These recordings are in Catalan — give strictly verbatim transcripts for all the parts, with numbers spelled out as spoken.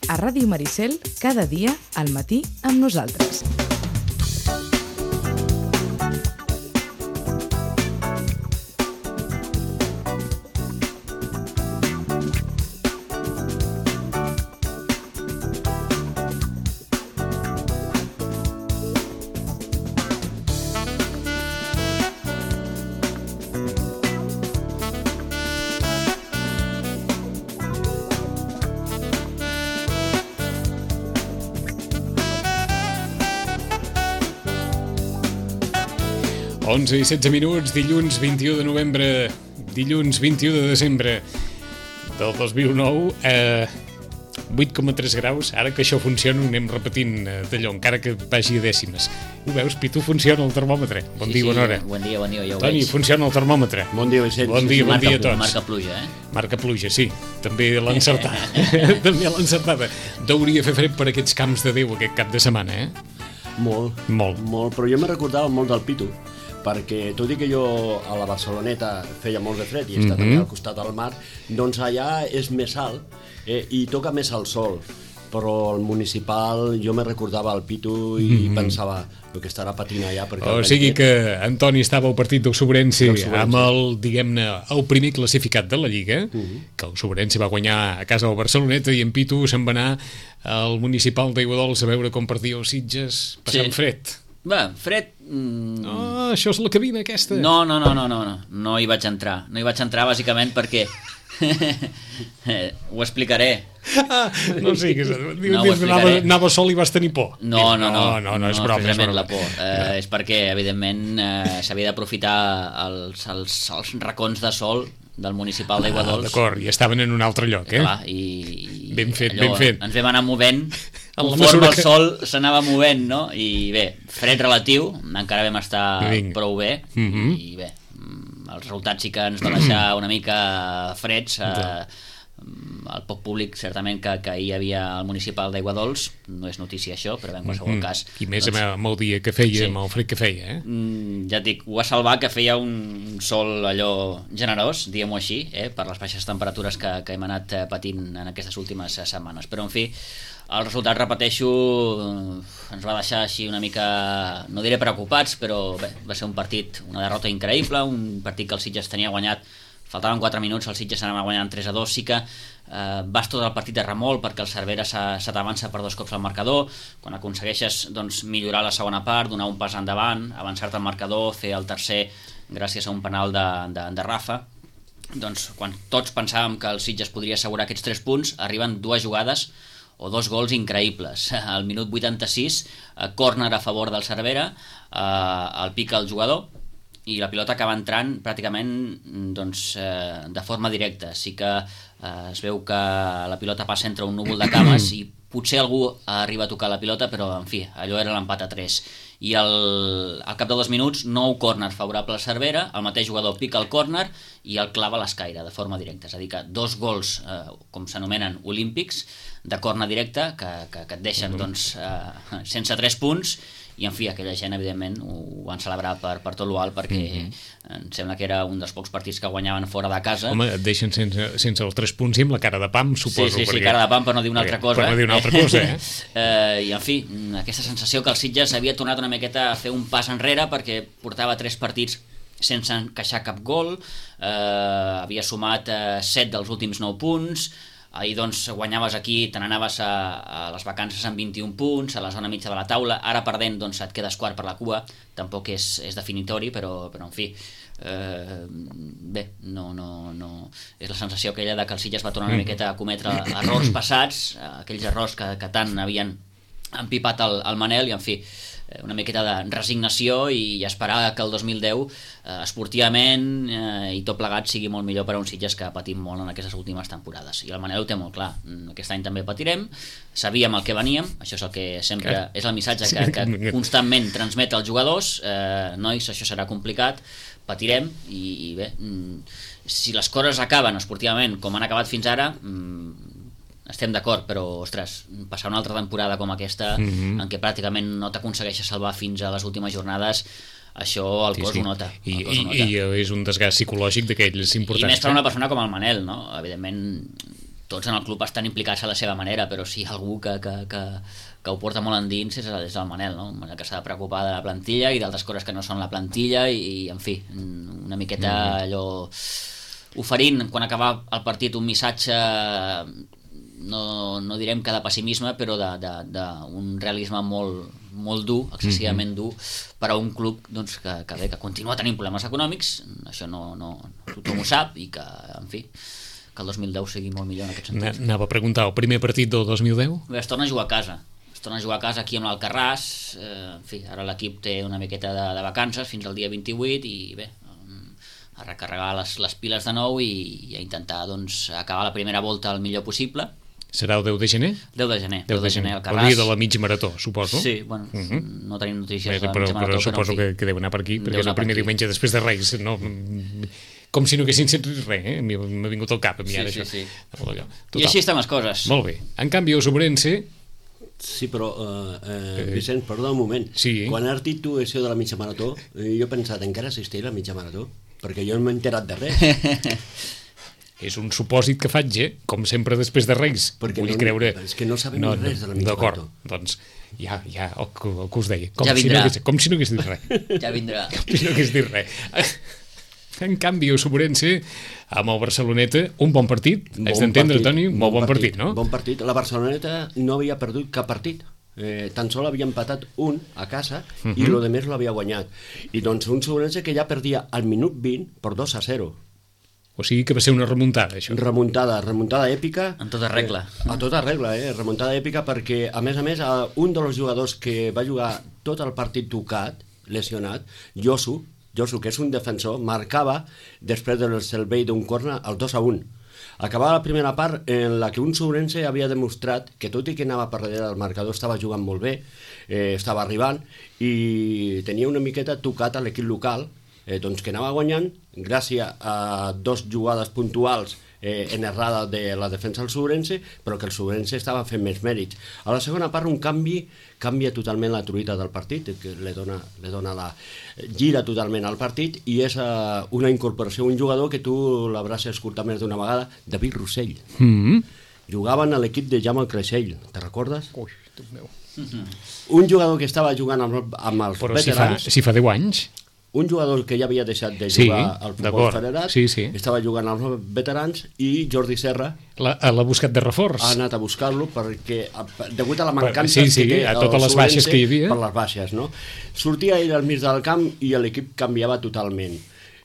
A Ràdio Maricel, cada dia, al matí, amb nosaltres. onze i setze minuts, dilluns vint-i-u de novembre, dilluns vint-i-u de desembre del dos mil nou, eh, vuit coma tres graus. Ara que això funciona ho anem repetint d'allò, encara que vagi a dècimes. Ho veus, Pitu, funciona el termòmetre. Bon sí, dia, sí, bona hora. Bon dia, bon dia, ja ho Toni, veig. funciona el termòmetre. Bon dia, Vicent. Bon dia, bon marca, dia a tots. Marca pluja, eh? Marca pluja, sí. També l'ha encertat. També l'ha encertada. Deuria fer fred per aquests camps de Déu aquest cap de setmana, eh? Molt. Molt. Molt, però jo me recordava molt del Pitu, perquè tot i que jo a la Barceloneta feia molt de fred i està mm-hmm. també al costat del mar, doncs allà és més alt eh, i toca més el sol, però el municipal jo me recordava el Pitu i mm-hmm. pensava el que estarà patint allà perquè o sigui que Antoni estava al partit del Sobrense amb el, diguem-ne, el primer classificat de la Lliga, mm-hmm. que el Sobrense va guanyar a casa del Barceloneta i en Pitu se'n va anar al municipal d'Aiguadols a veure com perdia els Sitges passant sí. fred. Va, fred... Mm... Oh, això és la cabina aquesta. No, no, no, no, no, no, no hi vaig entrar. No hi vaig entrar bàsicament perquè... ho explicaré. Ah, no siguis, no, anava, anava sol i vas tenir por. No, no, no, no, no, no és broma. No, és broma. la por. Eh, no. És perquè, evidentment, eh, s'havia d'aprofitar els, els, els racons de sol del municipal d'Aiguadols. Ah, d'acord, i estaven en un altre lloc, eh? Clar, i, ben fet, allò, ben fet. Ens vam anar movent conforme el que... sol s'anava movent, no? I bé, fred relatiu, encara vam estar Vinc. prou bé, mm-hmm. i bé, els resultats sí que ens va deixar una mica freds. Eh, el poc públic, certament, que, que hi havia al municipal d'Aiguadols, no és notícia això, però en qualsevol mm-hmm. cas... I més doncs, amb el dia que sí. feia, amb el fred que feia, eh? Mm, ja et dic, ho va salvar que feia un sol allò generós, diguem-ho així, eh, per les baixes temperatures que, que hem anat patint en aquestes últimes setmanes. Però, en fi, el resultat, repeteixo, ens va deixar així una mica, no diré preocupats, però bé, va ser un partit, una derrota increïble, un partit que el Sitges tenia guanyat, faltaven quatre minuts, el Sitges s'anava guanyant tres a dos, sí que eh, vas tot el partit de remolc perquè el Cervera se, se t'avança per dos cops al marcador, quan aconsegueixes doncs, millorar la segona part, donar un pas endavant, avançar-te al marcador, fer el tercer gràcies a un penal de, de, de Rafa, doncs quan tots pensàvem que el Sitges podria assegurar aquests tres punts, arriben dues jugades o dos gols increïbles. Al minut vuitanta-sis, eh, córner a favor del Cervera, eh, el pica el jugador, i la pilota acaba entrant pràcticament doncs, eh, de forma directa. Sí que eh, es veu que la pilota passa entre un núvol de cames i potser algú arriba a tocar la pilota, però en fi, allò era l'empat a tres. I el, al cap de dos minuts, nou córner favorable al Cervera, el mateix jugador pica el córner i el clava a l'escaire de forma directa. És a dir, que dos gols, eh, com s'anomenen, olímpics, de córner directe, que, que, que et deixen doncs, eh, sense tres punts. I, en fi, aquella gent, evidentment, ho van celebrar per, per tot l'alt, perquè mm-hmm. em sembla que era un dels pocs partits que guanyaven fora de casa. Home, et deixen sense, sense els tres punts i amb la cara de pam, suposo. Sí, sí, sí, perquè... cara de pam, per no dir una altra cosa. Per no dir una altra cosa, eh? eh? I, en fi, aquesta sensació que el Sitges havia tornat una miqueta a fer un pas enrere, perquè portava tres partits sense encaixar cap gol, eh, havia sumat eh, set dels últims nou punts, ahir doncs guanyaves aquí, te n'anaves a, a les vacances amb vint-i-un punts, a la zona mitja de la taula, ara perdent doncs et quedes quart per la cua, tampoc és, és definitori, però, però en fi, eh, bé, no, no, no, és la sensació aquella de que el Sitges va tornar una miqueta a cometre errors passats, aquells errors que, que tant havien empipat el, el Manel, i en fi, una miqueta de resignació i esperar que el dos mil deu eh, esportivament eh, i tot plegat sigui molt millor per a un Sitges que ha patit molt en aquestes últimes temporades. I el Manel ho té molt clar, aquest any també patirem, sabíem el que veníem, això és el que sempre que... és el missatge que, que constantment transmet als jugadors, eh, nois, això serà complicat, patirem i, i bé, si les coses acaben esportivament com han acabat fins ara, estem d'acord, però, ostres, passar una altra temporada com aquesta, mm-hmm. en què pràcticament no t'aconsegueixes salvar fins a les últimes jornades, això el sí, cos sí. ho nota. I, el cos ho i, nota. I és un desgast psicològic d'aquells importants. I més per una persona com el Manel, no? Evidentment, tots en el club estan implicats a la seva manera, però si hi ha algú que, que, que, que ho porta molt endins és, és el Manel, no? Que s'ha de preocupar de la plantilla i d'altres coses que no són la plantilla i, i en fi, una miqueta allò oferint quan acaba el partit un missatge no, no direm que de pessimisme, però d'un realisme molt, molt dur, excessivament dur per a un club doncs, que, que, bé, que continua tenint problemes econòmics, això no, no, tothom ho sap i que, en fi, que el dos mil deu sigui molt millor en aquest sentit. Anava a preguntar, el primer partit del dos mil deu? Bé, es torna a jugar a casa. Es torna a jugar a casa aquí amb l'Alcarràs. Eh, en fi, ara l'equip té una miqueta de, de vacances fins al dia vint-i-vuit i bé, a recarregar les, les piles de nou i, i a intentar doncs, acabar la primera volta el millor possible. Serà el deu de gener? deu de gener. deu de gener, el dia de la mig marató, suposo. Sí, bueno, uh -huh. no tenim notícies bé, de la però, mig marató, però suposo però, que, que deu anar per aquí, perquè és el primer diumenge després de Reis, no... com si no haguessin set res, eh? m'ha vingut al cap a mi ara sí, això. Sí, sí. Total. I així estan les coses. Molt bé. En canvi, el Sobrense... Sí, però, uh, uh, Vicent, perdó un moment. Sí. Quan has dit tu això de la mitja marató, jo he pensat, encara assistir a la mitja marató? Perquè jo no m'he enterat de res. És un supòsit que faig, eh? Com sempre després de Reis. Perquè vull no, creure... és que no sabem no, res de la mitja d'acord, marató. Doncs ja, ja el, el que us deia. Com ja si vindrà. No hagués, com si no hagués dit res. Ja vindrà. Com si no hagués dit res. En canvi, el Sobrense, amb el Barceloneta, un bon partit, bon és d'entendre, Toni, un molt bon partit, partit, no? Bon partit. La Barceloneta no havia perdut cap partit. Eh, tan sol havia empatat un a casa uh -huh. i lo de més l'havia guanyat. I doncs un Sobrense que ja perdia al minut vint per dos a zero. O sigui que va ser una remuntada, això. Remuntada, remuntada èpica. En tota regla. Eh, a tota regla, eh? Remuntada èpica perquè, a més a més, un dels jugadors que va jugar tot el partit tocat, lesionat, Josu, Josu, que és un defensor, marcava després del servei d'un corner el dos a un. Acabava la primera part en la que un Sobrense havia demostrat que tot i que anava per darrere del marcador estava jugant molt bé, eh, estava arribant i tenia una miqueta tocat a l'equip local, eh, doncs que anava guanyant gràcies a dos jugades puntuals eh, en errada de la defensa del Sobrense, però que el Sobrense estava fent més mèrits. A la segona part un canvi canvia totalment la truita del partit, que li dona, li dona la... gira totalment al partit i és uh, una incorporació, un jugador que tu l'hauràs escoltat més d'una vegada, David Rossell. Mm-hmm. Jugaven a l'equip de Jaume Creixell, te recordes? Ui, Déu meu. Mm-hmm. Un jugador que estava jugant amb, amb els però veterans... si fa, si fa deu anys... Un jugador que ja havia deixat de sí, jugar al futbol federat, sí, sí. estava jugant als veterans i Jordi Serra la, l'ha buscat de reforç. Ha anat a buscar-lo perquè, degut a la mancança sí, sí, que té a totes les baixes que hi havia. Per les baixes, no? Sortia ell al mig del camp i l'equip canviava totalment.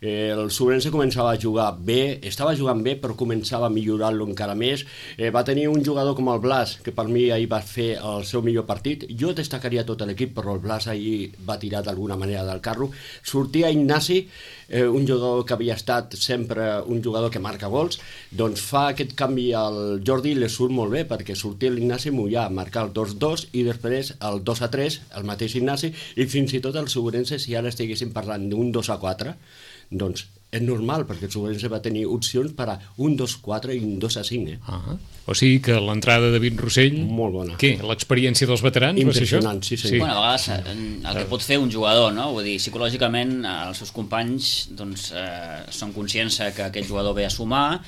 El Sobrense començava a jugar bé, estava jugant bé, però començava a millorar-lo encara més. Eh, va tenir un jugador com el Blas, que per mi ahir va fer el seu millor partit. Jo destacaria tot l'equip, però el Blas ahir va tirar d'alguna manera del carro. Sortia Ignasi, eh, un jugador que havia estat sempre un jugador que marca gols, doncs fa aquest canvi al Jordi i li surt molt bé, perquè sortia l'Ignasi Mollà a marcar el dos dos i després el dos a tres, el mateix Ignasi, i fins i tot el Sobrense, si ara estiguéssim parlant d'un dos a quatre, doncs és normal, perquè el Sobrense va tenir opcions per a un dos quatre i un dos a cinc. Eh? Ah, o sigui que l'entrada de David Rossell... Molt bona. Què? L'experiència dels veterans va ser això? Impressionant, sí, sí. sí. Bueno, a vegades el que pot fer un jugador, no? Vull dir, psicològicament els seus companys doncs, eh, són conscients que aquest jugador ve a sumar,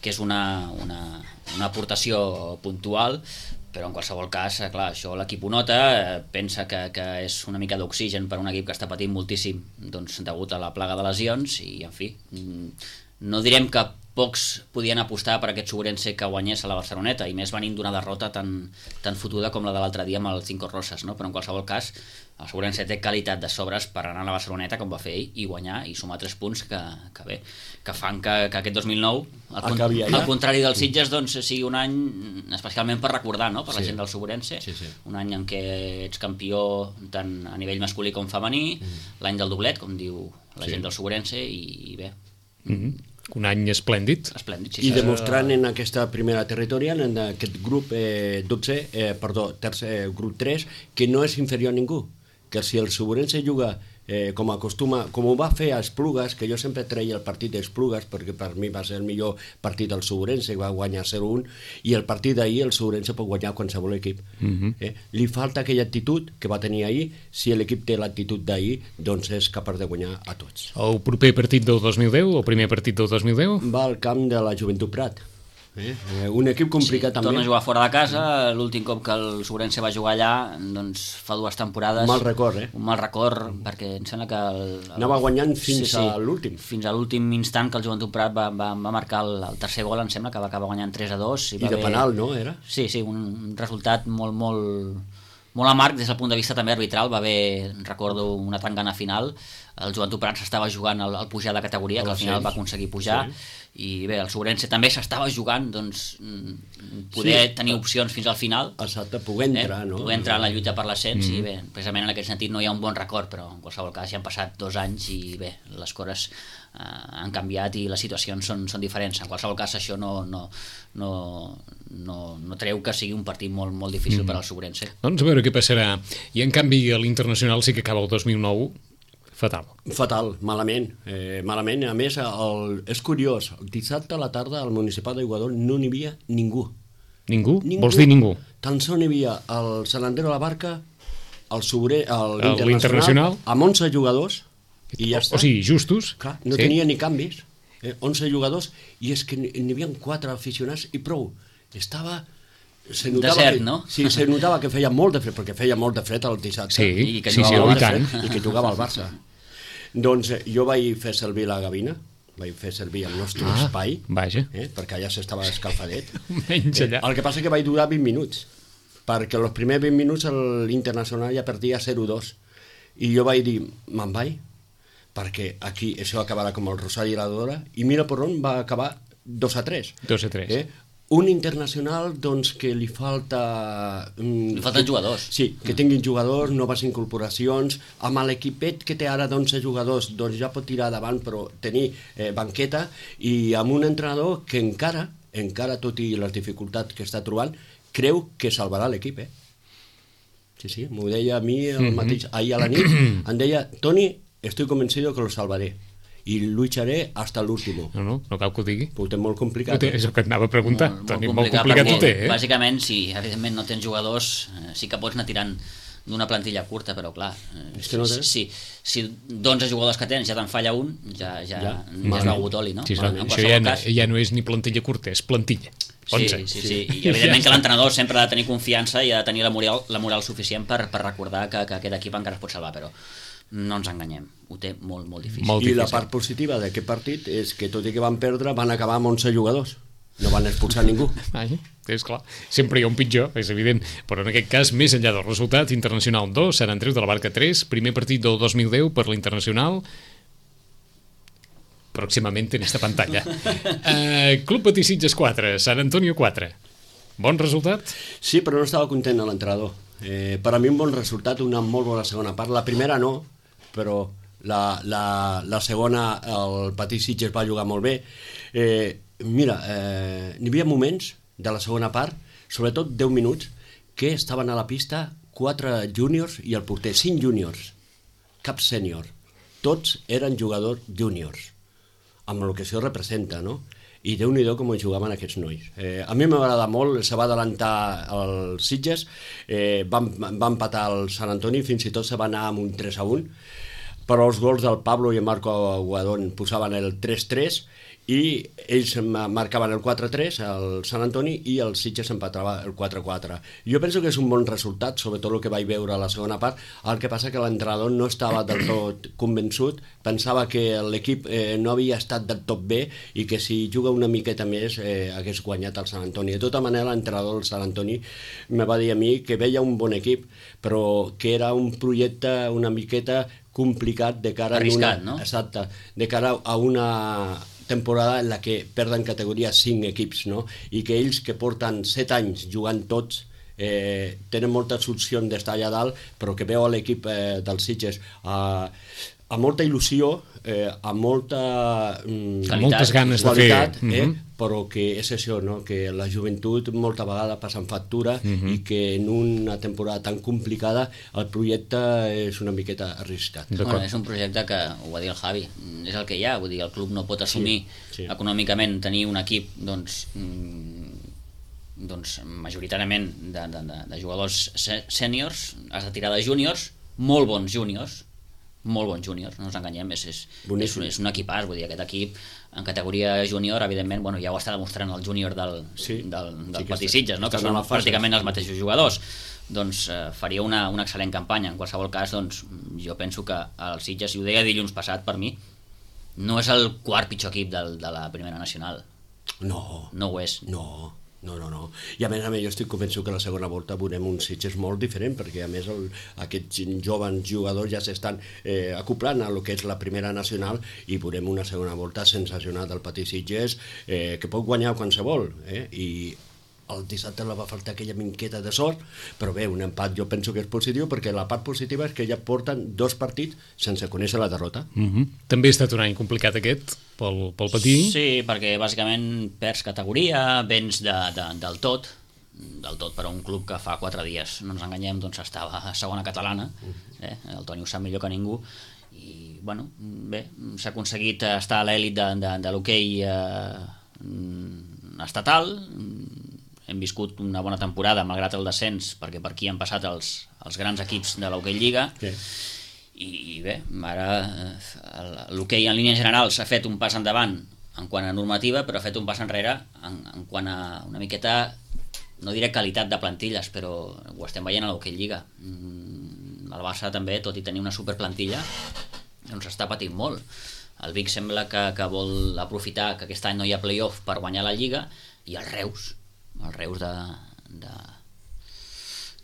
que és una, una, una aportació puntual, però en qualsevol cas, clar, això l'equip ho nota, eh, pensa que, que és una mica d'oxigen per a un equip que està patint moltíssim doncs, degut a la plaga de lesions i, en fi, no direm que pocs podien apostar per aquest Sobrense que guanyés a la Barceloneta, i més venint d'una derrota tan, tan fotuda com la de l'altre dia amb el Cinco Roses, no? Però en qualsevol cas el Sobrense té qualitat de sobres per anar a la Barceloneta com va fer ell i guanyar i sumar tres punts que, que bé, que fan que, que aquest dos mil nou al, con al contrari dels Sitges doncs sigui un any especialment per recordar, no? Per la sí. gent del Sobrense, sí, sí. un any en què ets campió tant a nivell masculí com femení, mm. l'any del doblet, com diu la sí. gent del Sobrense, i, i bé mm -hmm. un any esplèndid, esplèndid sí, i demostrant en aquesta primera territorial, en aquest grup eh, dotze, eh, perdó, tercer, eh, grup tres, que no és inferior a ningú, que si el Sobrense juga eh, com acostuma, com ho va fer a Esplugues, que jo sempre treia el partit d'Esplugues perquè per mi va ser el millor partit del Sobrense, va guanyar zero un, i el partit d'ahir el Sobrense pot guanyar qualsevol equip. Uh-huh. eh? Li falta aquella actitud que va tenir ahir. Si l'equip té l'actitud d'ahir, doncs és capaç de guanyar a tots. El proper partit del dos mil deu, el primer partit del dos mil deu? Va al camp de la Joventut Prat. Eh? Un equip complicat sí, també. Torna a jugar fora de casa, l'últim cop que el Sobrense va jugar allà, doncs fa dues temporades. Un mal record, eh? Un mal record, perquè em sembla que... El, el... Anava guanyant fins sí, sí, a l'últim. Fins a l'últim instant que el Joventut Prat va, va, va marcar el, el tercer gol, em sembla que va acabar guanyant tres a dos. I, I de haver... penal, no, era? Sí, sí, un resultat molt, molt, molt amarg des del punt de vista també arbitral. Va haver, recordo, una tangana final. El Joventut Prat s'estava jugant al, al pujar de categoria, que al final va aconseguir pujar, sí. I bé, el Sobrense també s'estava jugant, doncs poder sí. tenir opcions fins al final. Exacte, poder entrar, eh? no? Poder entrar en la lluita per l'ascens, mm. i bé, precisament en aquest sentit no hi ha un bon record, però en qualsevol cas ja han passat dos anys i bé, les coses eh, han canviat i les situacions són, són diferents. En qualsevol cas això no, no, no, no, no treu que sigui un partit molt, molt difícil mm. per al Sobrense. Doncs a veure què passarà. I en canvi l'Internacional sí que acaba el dos mil nou fatal. Fatal, malament. Eh, malament, a més, el, és curiós, el dissabte a la tarda al Municipal d'Iguador no n'hi havia ningú. Ningú? ningú? Vols dir ningú? Tan sols n'hi havia el Sant Andreu de la Barca, el Sobre, l'Internacional, Internacional, amb onze jugadors, i ja està. O sigui, justos. Clar, no sí. tenia ni canvis. Eh, onze jugadors, i és que n'hi havia quatre aficionats i prou. Estava... Se notava Desert, que, no? Sí, se notava que feia molt de fred, perquè feia molt de fred el dissabte. Sí, i que sí, sí, oh, i tant. I que jugava al Barça. Doncs eh, jo vaig fer servir la gavina, vaig fer servir el nostre ah, espai, vaja. Eh, perquè allà s'estava escalfadet. Menys allà. Eh, el que passa que vaig durar vint minuts, perquè els primers vint minuts l'Internacional ja perdia zero dos. I jo vaig dir, me'n vaig, perquè aquí això acabarà com el Rosari i la Dora, i mira per on va acabar dos a tres. dos a tres. Eh? Un Internacional doncs, que li falta... Li falten jugadors. Sí, que tinguin jugadors, noves incorporacions. Amb l'equipet que té ara d'onze jugadors, doncs ja pot tirar davant, però tenir eh, banqueta. I amb un entrenador que encara, encara tot i les dificultats que està trobant, creu que salvarà l'equip, eh? Sí, sí, m'ho deia a mi el mateix, ahir a la nit. Em deia, Toni, estoy convencido que lo salvaré. I lucharé hasta l'último. No, no, no cal que ho digui. Ho té molt complicat. Té, és el que et anava a preguntar. Molt, Toni, molt complicat, complicat ho té, eh? Bàsicament, si evidentment no tens jugadors, eh, sí que pots anar tirant d'una plantilla curta, però clar, eh, és que no si, si, si d'onze jugadors que tens ja te'n falla un, ja, ja, ja, ja és begut oli, no? Sí, sí, això ja, cas... ja no és ni plantilla curta, és plantilla. Sí, sí, sí, sí. I evidentment que l'entrenador sempre ha de tenir confiança i ha de tenir la moral, la moral suficient per, per recordar que, que aquest equip encara es pot salvar, però no ens enganyem, ho té molt, molt difícil. Molt I difícil. la part positiva d'aquest partit és que tot i que van perdre van acabar amb onze jugadors, no van expulsar ningú. Ai, és clar, sempre hi ha un pitjor, és evident, però en aquest cas, més enllà del resultat, Internacional dos, Sant Andreu de la Barca tres, primer partit del dos mil deu per l'Internacional, pròximament en esta pantalla. uh, Club Patí Sitges quatre, Sant Antonio quatre. Bon resultat? Sí, però no estava content de l'entrenador. Eh, per a mi un bon resultat, una molt bona segona part. La primera no, però la, la, la segona el Patí Sitges va jugar molt bé. Eh, mira, eh, n'hi havia moments de la segona part, sobretot deu minuts, que estaven a la pista quatre júniors i el porter, cinc júniors, cap sènior. Tots eren jugadors júniors, amb el que això representa, no? I Déu-n'hi-do com jugaven aquests nois. Eh, a mi m'agrada molt, se va adelantar el Sitges, eh, va, va empatar el Sant Antoni, fins i tot se va anar amb un tres a un, però els gols del Pablo i el Marco Aguadón posaven el tres tres i ells marcaven el quatre tres, el Sant Antoni, i el Sitges empatava el quatre quatre. Jo penso que és un bon resultat, sobretot el que vaig veure a la segona part. El que passa que l'entrenador no estava del tot convençut, pensava que l'equip eh, no havia estat del tot bé i que si juga una miqueta més eh, hagués guanyat el Sant Antoni. De tota manera, l'entrenador del Sant Antoni me va dir a mi que veia un bon equip, però que era un projecte una miqueta complicat de cara arriscat, a una, no? Exacte, de cara a una temporada en la que perden categoria cinc equips, no? I que ells que porten set anys jugant tots eh, tenen moltes opcions d'estar allà dalt, però que veu l'equip eh, dels Sitges eh, amb molta il·lusió, eh, amb molta mm, amb moltes ganes qualitat, de fer eh, mm -hmm. però que és això, no? Que la joventut molta vegada passa en factura mm -hmm. i que en una temporada tan complicada el projecte és una miqueta arriscat. Bueno, és un projecte que, ho va dir el Javi, és el que hi ha, vull dir, el club no pot assumir sí, sí. econòmicament tenir un equip doncs, doncs majoritàriament de, de, de, de jugadors sèniors, has de tirar de júniors, molt bons júniors, molt bon júnior, no ens enganyem, és, és, és, un, és un equipàs, vull dir, aquest equip en categoria júnior, evidentment, bueno, ja ho està demostrant el júnior del, sí, del, del sí Patí Sitges, no? Que són pràcticament els mateixos jugadors. Doncs eh, faria una, una excel·lent campanya. En qualsevol cas, doncs, jo penso que el Sitges, i ho deia dilluns passat, per mi, no és el quart pitjor equip del, de la primera nacional. No. No ho és. No. No, no, no. I a més a més jo estic convençut que la segona volta veurem un Sitges molt diferent, perquè a més el, aquests joves jugadors ja s'estan eh, acoplant a lo que és la primera nacional i veurem una segona volta sensacional del Patí Sitges eh, que pot guanyar qualsevol, eh? I el dissabte la va faltar aquella minqueta de sort, però bé, un empat jo penso que és positiu, perquè la part positiva és que ja porten dos partits sense conèixer la derrota. Mm-hmm. També ha estat un any complicat aquest pel, pel Patí. Sí, perquè bàsicament perds categoria, vens de, de, del tot, del tot per a un club que fa quatre dies, no ens enganyem, doncs estava a segona catalana, eh? El Toni ho sap millor que ningú, i bueno, bé, s'ha aconseguit estar a l'èlit de, de, de l'hoquei eh, estatal. Hem viscut una bona temporada malgrat el descens, perquè per aquí han passat els, els grans equips de l'hoquei Lliga, sí. I, i bé, ara l'hoquei en línies generals ha fet un pas endavant en quant a normativa, però ha fet un pas enrere en, en quant a una miqueta, no diré qualitat de plantilles, però ho estem veient a l'hoquei Lliga. El Barça també, tot i tenir una superplantilla, doncs està patint molt. El Vic sembla que, que vol aprofitar que aquest any no hi ha playoff per guanyar la Lliga, i el Reus el Reus de, de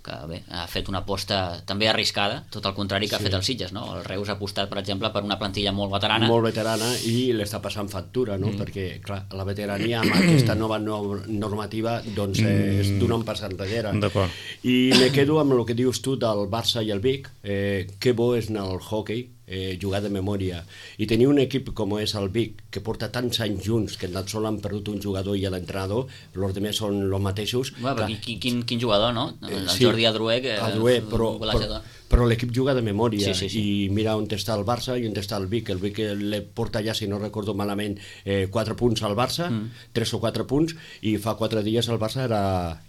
que bé, ha fet una aposta també arriscada, tot el contrari que sí. ha fet el Sitges, no? El Reus ha apostat, per exemple, per una plantilla molt veterana. Molt veterana i l'està passant factura, no? Mm. Perquè, clar, la veterania amb aquesta nova normativa doncs eh, és d'un un pas enrere. D'acord. I me quedo amb el que dius tu del Barça i el Vic, eh, que bo és anar al hockey, eh, jugar de memòria, i tenir un equip com és el Vic, que porta tants anys junts, que tan sols han perdut un jugador i l'entrenador, els altres són els mateixos. Bueno, quin, quin, quin jugador, no? El sí, Jordi Adrué, que Adrué, però, però, però l'equip juga de memòria, sí, sí, sí. I mira on està el Barça i on està el Vic. El Vic le porta ja, si no recordo malament, eh, quatre punts al Barça, mm. tres o quatre punts, i fa quatre dies el Barça era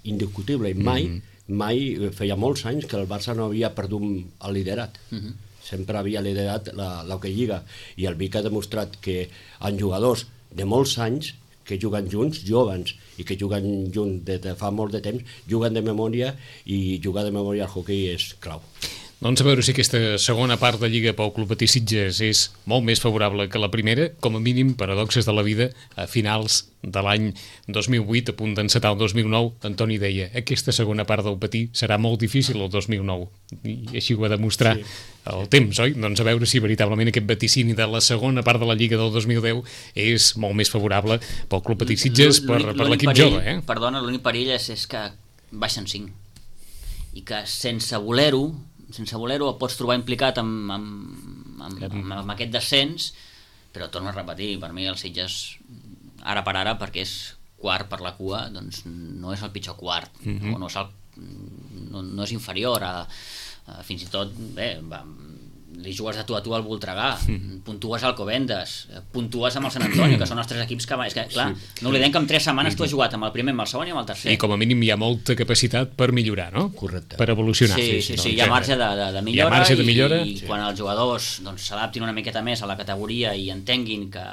indiscutible, i mai, mm. mai feia molts anys que el Barça no havia perdut el liderat. Mm-hmm. Sempre havia liderat l'Hockey Lliga, i el Vic ha demostrat que en jugadors de molts anys que juguen junts, jovens, i que juguen junts des de fa molt de temps, juguen de memòria, i jugar de memòria al hoquei és clau. Doncs a veure si aquesta segona part de Lliga pel Club Patí Sitges és molt més favorable que la primera, com a mínim, paradoxes de la vida, a finals de l'any dos mil vuit, a punt d'encetar el dos mil nou, Antoni deia, aquesta segona part del Patí serà molt difícil el dos mil nou, i així ho va demostrar sí. el temps, oi? Doncs a veure si veritablement aquest vaticini de la segona part de la Lliga del dos mil deu és molt més favorable pel Club Patí Sitges, per, per l'equip jove. Eh? Perdona, l'únic perill és, és que baixen cinc, i que sense voler-ho, sense voler-ho el pots trobar implicat amb, amb, amb, amb, amb aquest descens, però torno a repetir, per mi el Sitges ara per ara, perquè és quart per la cua, doncs no és el pitjor quart, mm-hmm. o no és, el, no, no és inferior a, a fins i tot, bé, va, li jugues de tu a tu al Voltregà, mm. puntues al Alcobendas, puntues amb el Sant Antoni, que són els tres equips que... És que, clar, sí. no oblidem que en tres setmanes tu has jugat amb el primer, amb el segon i amb el tercer. I com a mínim hi ha molta capacitat per millorar, no? Correcte. Per evolucionar. Sí, sí, sí, sí, hi ha marge de, de, de millora, hi ha marge de millora i, i sí. quan els jugadors doncs, s'adaptin una miqueta més a la categoria i entenguin que,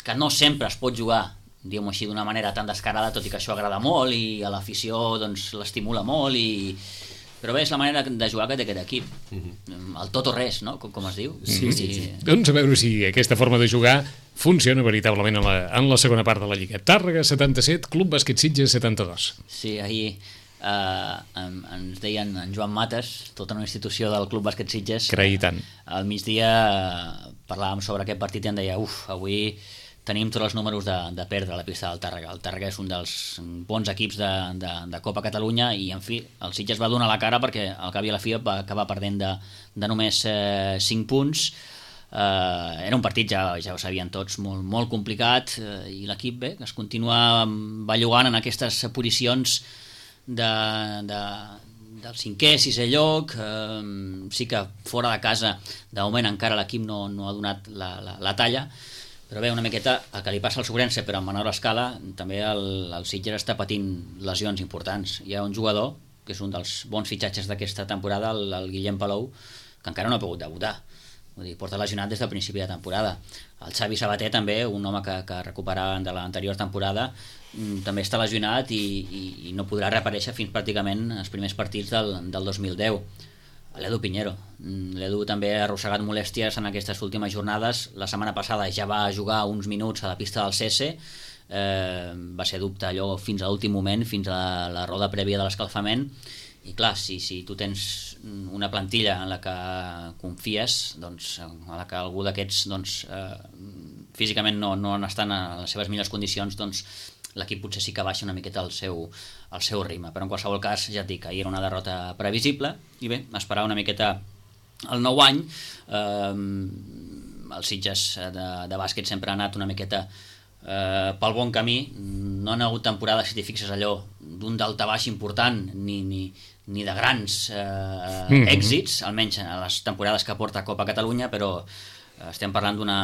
que no sempre es pot jugar, diguem-ho així, d'una manera tan descarada, tot i que això agrada molt i a l'afició doncs, l'estimula molt, i però bé, és la manera de jugar que té aquest equip. Mm-hmm. El tot o res, no? Com, com es diu. Sí, sí, sí. Doncs a veure si aquesta forma de jugar funciona veritablement en la, en la segona part de la Lliga. Tàrrega setanta-set, Club Bàsquet Sitges setanta-dos. Sí, ahir eh, ens deien en Joan Mates, tota una institució del Club Bàsquet Sitges. Creï tant. Al migdia eh, parlàvem sobre aquest partit i em deia, uf, avui tenim tots els números de, de perdre a la pista del Tàrrega. El Tàrrega és un dels bons equips de, de, de Copa Catalunya, i en fi, el Sitges va donar la cara perquè al cap i a la fi va acabar perdent de, de només eh, cinc punts. Eh, era un partit, ja, ja ho sabien tots, molt, molt complicat, eh, i l'equip bé, que es continua bellugant en aquestes posicions de, de, del cinquè, sisè lloc. Eh, sí que fora de casa de moment encara l'equip no, no ha donat la, la, la talla, però bé, una miqueta el que li passa al Sobrense, però a menor escala, també el, el Sitges està patint lesions importants. Hi ha un jugador, que és un dels bons fitxatges d'aquesta temporada, el, el Guillem Palou, que encara no ha pogut debutar. vull dir, porta lesionat des del principi de temporada. El Xavi Sabater també, un home que, que recuperava de l'anterior temporada, també està lesionat i, i, i no podrà reaparèixer fins pràcticament els primers partits del, del dos mil deu. L'Edu Piñero, l'Edu també ha arrossegat molèsties en aquestes últimes jornades. La setmana passada ja va jugar uns minuts a la pista del C S, eh, va ser dubte allò fins a l'últim moment, fins a la, la roda prèvia de l'escalfament, i clar, si, si tu tens una plantilla en la que confies, doncs, en la que algú d'aquests doncs, eh, físicament no, no estan en les seves millors condicions, doncs l'equip potser sí que baixa una miqueta el seu, el seu ritme, però en qualsevol cas ja et dic, ahir era una derrota previsible i bé, esperar una miqueta el nou any. eh, els Sitges de, de bàsquet sempre han anat una miqueta eh, pel bon camí, no han hagut temporades, si t'hi fixes, allò d'un daltabaix important ni, ni, ni de grans eh, mm-hmm. èxits, almenys a les temporades que porta Copa Catalunya, però estem parlant d'una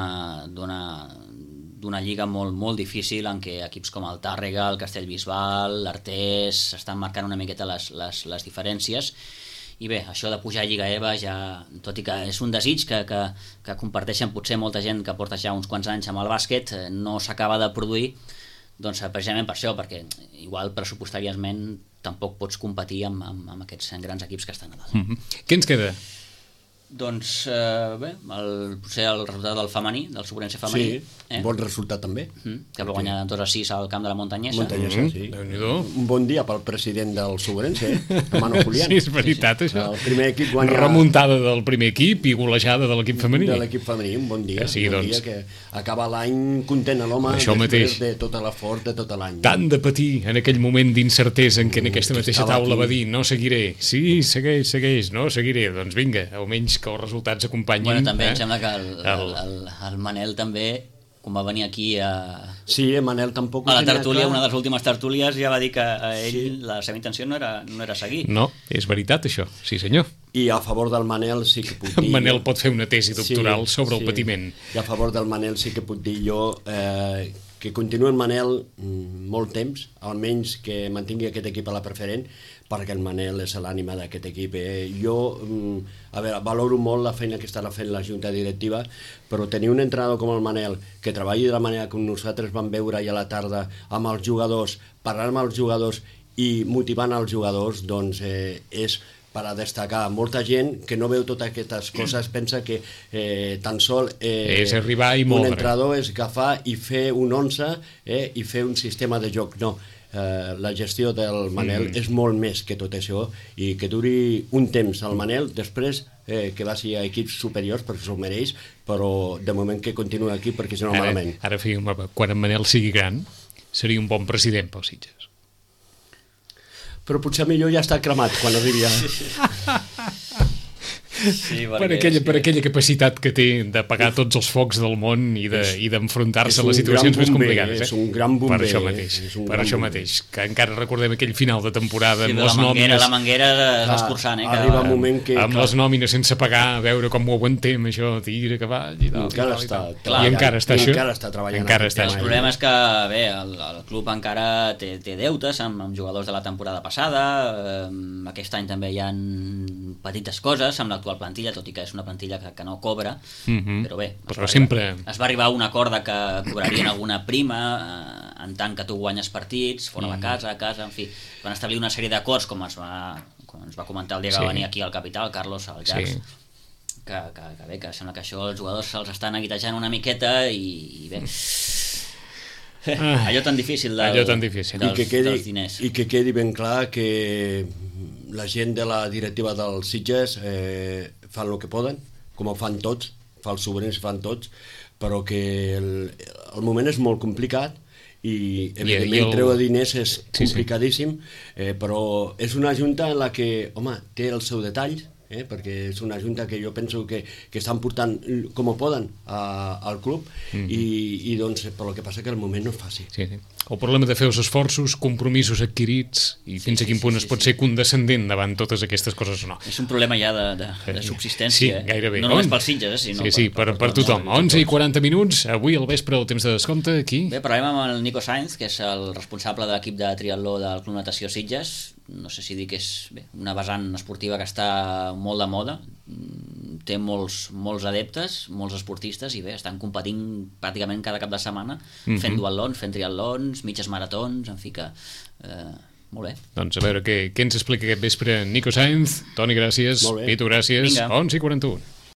d'una d'una lliga molt, molt difícil en què equips com el Tàrrega, el Castellbisbal, l'Artés estan marcant una miqueta les, les, les diferències. I bé, això de pujar a Lliga E V A ja, tot i que és un desig que, que, que comparteixen potser molta gent que porta ja uns quants anys amb el bàsquet, no s'acaba de produir, doncs precisament per això, perquè igual pressupostàriament tampoc pots competir amb, amb, amb aquests grans equips que estan a dalt. Mm-hmm. Què ens queda? Doncs eh, bé, el, potser el resultat del femení, del Sobrense femení. Sí, eh? bon resultat també. Mm, que va guanyar dos a sis al camp de la Montanyesa. Montanyesa, mm, sí. Déu-n'hi-do. Un bon dia pel president del Sobrense, eh? Mano Julián. Sí, és veritat, sí, sí. això. El primer equip guanya... Remuntada del primer equip i golejada de l'equip femení. De l'equip femení, un bon dia. Que sí, un bon doncs. dia que acaba l'any content a l'home després de tot l'esforç de tot l'any. Tant de patir en aquell moment d'incertesa en què en aquesta mateixa taula aquí. va dir no seguiré, sí, segueix, segueix, no seguiré, doncs vinga, almenys que els resultats acompanyin. Bueno, també eh? em sembla que el, el, el, el Manel també, quan va venir aquí a, sí, Manel tampoc a la tertúlia, una de les últimes tertúlies, ja va dir que a ell sí. la seva intenció no era, no era seguir. No, és veritat això, sí senyor. I a favor del Manel sí que puc dir... Manel pot fer una tesi doctoral sí, sobre sí. el patiment. I a favor del Manel sí que puc dir jo eh, que continuï el Manel mm, molt temps, almenys que mantingui aquest equip a la preferent, perquè el Manel és l'ànima d'aquest equip. Eh? Jo, mm, a veure, valoro molt la feina que està fent la junta directiva, però tenir un entrenador com el Manel, que treballi de la manera que nosaltres vam veure ahir a la tarda amb els jugadors, parlant amb els jugadors i motivant els jugadors, doncs eh, és per a destacar. Molta gent que no veu totes aquestes coses pensa que eh, tan sol eh, és arribar i un moure. entrenador és agafar i fer un onze eh, i fer un sistema de joc. No, eh, la gestió del Manel mm. és molt més que tot això, i que duri un temps el Manel, després eh, que vagi a equips superiors perquè s'ho mereix, però de moment que continuï aquí perquè si no ara, malament. Ara, quan en Manel sigui gran seria un bon president pels Sitges. Però potser millor ja està cremat quan arribi a... Sí, per, aquella, per aquella capacitat que té de pagar tots els focs del món i d'enfrontar-se a les situacions més complicades. Eh? És un gran bomber. Per això mateix, per això mateix, que encara recordem aquell final de temporada sí, amb les la nòmines... manguera, la manguera l'escurçant, eh? Arriba un moment que... Amb les nòmines sense pagar, a veure com ho aguantem, això, tira cavall i tal. Encara i, està, tal, i, clar, tal. I encara està això. Encara està treballant. Encara està el problema és que, bé, el, el club encara té, té deutes amb, amb jugadors de la temporada passada, eh, aquest any també hi ha petites coses amb l'actual plantilla, tot i que és una plantilla que, que no cobra, mm-hmm. però bé, però es, va sempre... arribar, es va arribar a un acord de que cobrarien alguna prima eh, en tant que tu guanyes partits, fora mm. la casa, a casa, en fi, van establir una sèrie d'acords, com es va, com ens va comentar el dia que sí. va venir aquí al Capital, Carlos Aljax, sí. que, que, que bé, que sembla que això els jugadors se'ls estan aguitejant una miqueta i, i bé... Ah, allò tan difícil, del, allò tan difícil. Dels, I que quedi, dels diners. I que quedi ben clar que la gent de la directiva dels Sitges eh, fan el que poden, com ho fan tots, fa els sobrins, fan tots, però que el, el moment és molt complicat i evidentment I el... treure diners és complicadíssim, sí, sí. Eh, però és una junta en la que, home, té el seu detall, eh, perquè és una junta que jo penso que, que estan portant com ho poden a, al club mm-hmm. i, i doncs però el que passa que el moment no és fàcil. Sí, sí. El problema de fer els esforços, compromisos adquirits i fins sí, a quin punt sí, sí, es pot sí. ser condescendent davant totes aquestes coses o no. És un problema ja de, de, de subsistència. Sí, gairebé. No només pels Sitges, eh, sinó sí, sí, per, per, per, per tothom. onze i quaranta minuts, avui al vespre el temps de descompte, aquí. Bé, parlem amb el Nico Sainz, que és el responsable de l'equip de triatló del Club Natació Sitges. No sé si dir que és bé, una vessant esportiva que està molt de moda. té molts, molts adeptes, molts esportistes, i bé, estan competint pràcticament cada cap de setmana, mm-hmm. fent duatlons, fent triatlons, mitges maratons, en fi que... Eh, molt bé. Doncs a veure què, què ens explica aquest vespre Nico Sainz. Toni, gràcies. Pitu, gràcies. Vinga. onze i quaranta-u.